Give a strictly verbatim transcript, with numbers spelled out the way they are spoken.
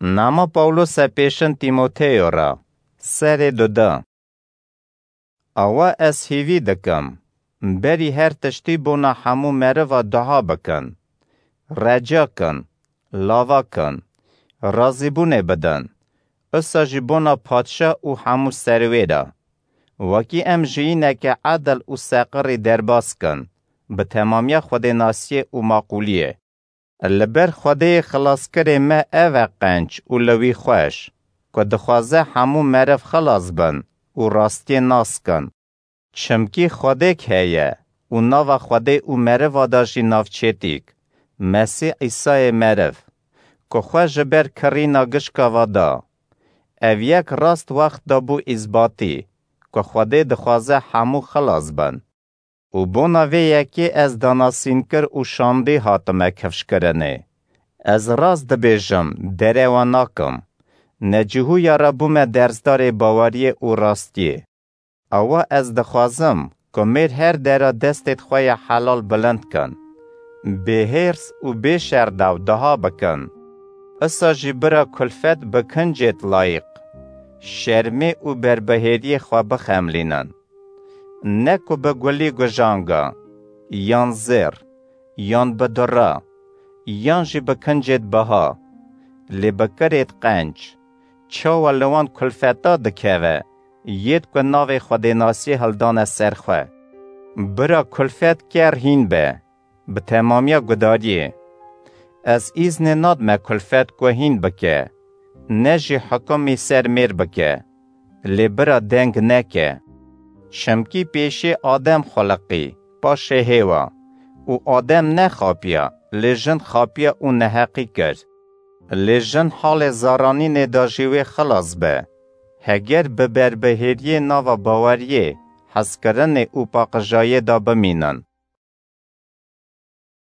Nama Pawlose pêşin Tîmoteyo re, serê duda. Awa ez hîvî dikim, berî her tiştî bona hemû meriva dua bikin, reca kin, lava kin, razîbûnê bidin, usa jî bona padşa û hemû serwêra, wekî em jiyîneke edil û seqirî derbas kin, bi temamiya xwedênasiyê û maqûliyê. Li ber Xwedê xilaskirê me ev e qenc û li wî xweş, ku dixwaze hemû meriv xilas bin û rastiyê nas kin. Çimkî Xwedêk heye û nava Xwedê û meriva de jî navçêtîk, Mesîh Îsayê meriv, ku xwe ji ber kirîna gişka ve da. Ev yek rast wext de bû îzbatî, ku Xwedê dixwaze hemû xilas bin. Û bona vê yekê ez danasînkir û şandî hatime kifşkirinê. Ez rast dibêjim, derewa nakim. Necihûya re bûme dersdarê baweriyê û rastiyê. Awa ez dixwazim, ku mêr her dera destêd xwe ya helal bilind kin. Bêhêrs û bêşerdew diha bikin. Isa jî bira kulfet bi kincêd layîq, şermê û berbihêriyê xwe bixemlînin. Ne ku bi gulî gujanga, yan zêr, yan bi dura, yan jî bi kincêd biha, lê bi kirêd qenc, çawa li wan kulfeta dikeve, yêd ku navê xwedênasiyê hildane ser xwe. Bira kulfet ker hîn be, bi temamiya gudariyê. Ez îznê nadime kulfet ku hîn bike, ne jî hikumî ser mêr bike, lê bira deng neke. Çimkî pêşê Adem xuliqî, paşê Hêwa. Û Adem nexapiya, lê jin xapiya û neheqî kir. Lê jin halê zaranînê de jî wê xilas be, heger bi berbihêriyê nava baweriyê, hezkirinê û paqijayê de bimînin.